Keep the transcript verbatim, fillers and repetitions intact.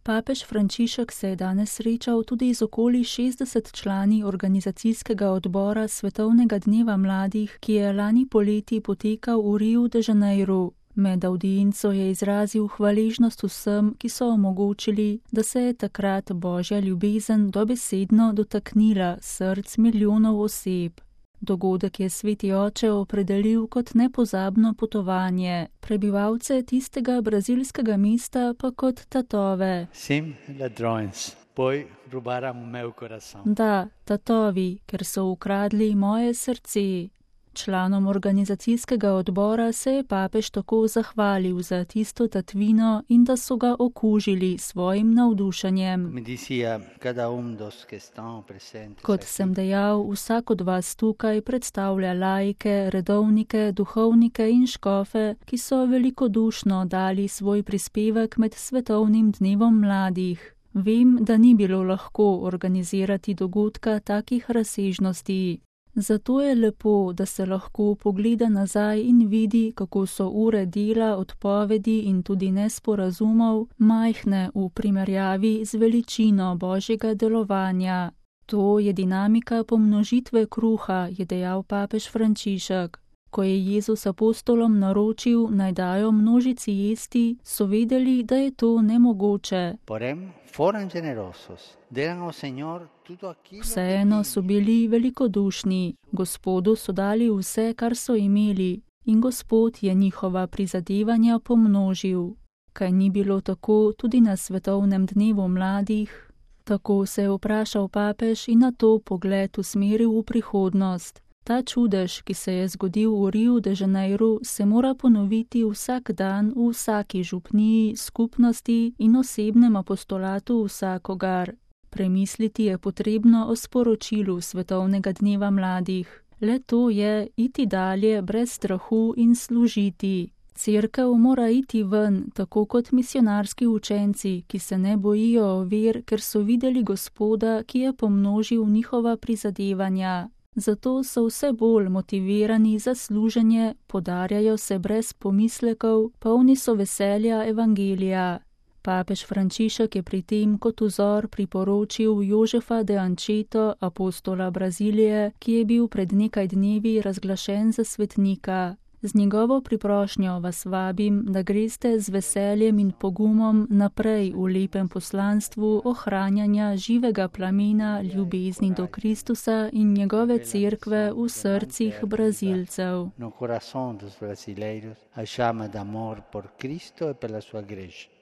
Papež Frančišek se je danes srečal tudi z okoli šestdeset člani organizacijskega odbora Svetovnega dneva mladih, ki je lani poleti potekal v Riu de Janeiru. Med avdienco je izrazil hvaležnost vsem, ki so omogočili, da se je takrat božja ljubezen dobesedno dotaknila src milijonov oseb. Dogodek je sveti oče opredelil kot nepozabno potovanje, prebivalce tistega brazilskega mesta pa kot tatove. Sim, ladrões, poi rubaram meu coração. Da, tatovi, ker so ukradli moje srce. Članom organizacijskega odbora se je papež tako zahvalil za tisto tatvino in da so ga okužili svojim navdušenjem. Kot sem dejal, vsak od vas tukaj predstavlja laike, redovnike, duhovnike in škofe, ki so velikodušno dali svoj prispevek med Svetovnim dnevom mladih. Vem, da ni bilo lahko organizirati dogodka takih razsežnosti. Zato je lepo, da se lahko pogleda nazaj in vidi, kako so ure dela, odpovedi in tudi nesporazumov majhne v primerjavi z veličino božjega delovanja. To je dinamika pomnožitve kruha, je dejal papež Frančišek. Ko je Jezus apostolom naročil, naj dajo množici jesti, so vedeli, da je to nemogoče. Vseeno so bili velikodušni, Gospodu so dali vse, kar so imeli, in Gospod je njihova prizadevanja pomnožil. Kaj ni bilo tako tudi na Svetovnem dnevu mladih? Tako se je vprašal papež in na to pogled usmeril v prihodnost. Ta čudež, ki se je zgodil v Riu de Janeiru, se mora ponoviti vsak dan v vsaki župniji, skupnosti in osebnem apostolatu vsakogar. Premisliti je potrebno o sporočilu Svetovnega dneva mladih. Le to je iti dalje brez strahu in služiti. Cerkev mora iti ven, tako kot misionarski učenci, ki se ne bojijo ovir, ker so videli Gospoda, ki je pomnožil njihova prizadevanja. Zato so vse bolj motivirani za služenje, podarjajo se brez pomislekov, polni so veselja evangelija. Papež Frančišek je pri tem kot vzor priporočil Jožefa de Ančeto, apostola Brazilije, ki je bil pred nekaj dnevi razglašen za svetnika. Z njegovo priprošnjo vas vabim, da greste z veseljem in pogumom naprej v lepem poslanstvu ohranjanja živega plamena ljubezni do Kristusa in njegove cerkve v srcih Brazilcev. No coração dos brasileiros, a chama de amor por Cristo e pela sua igreja.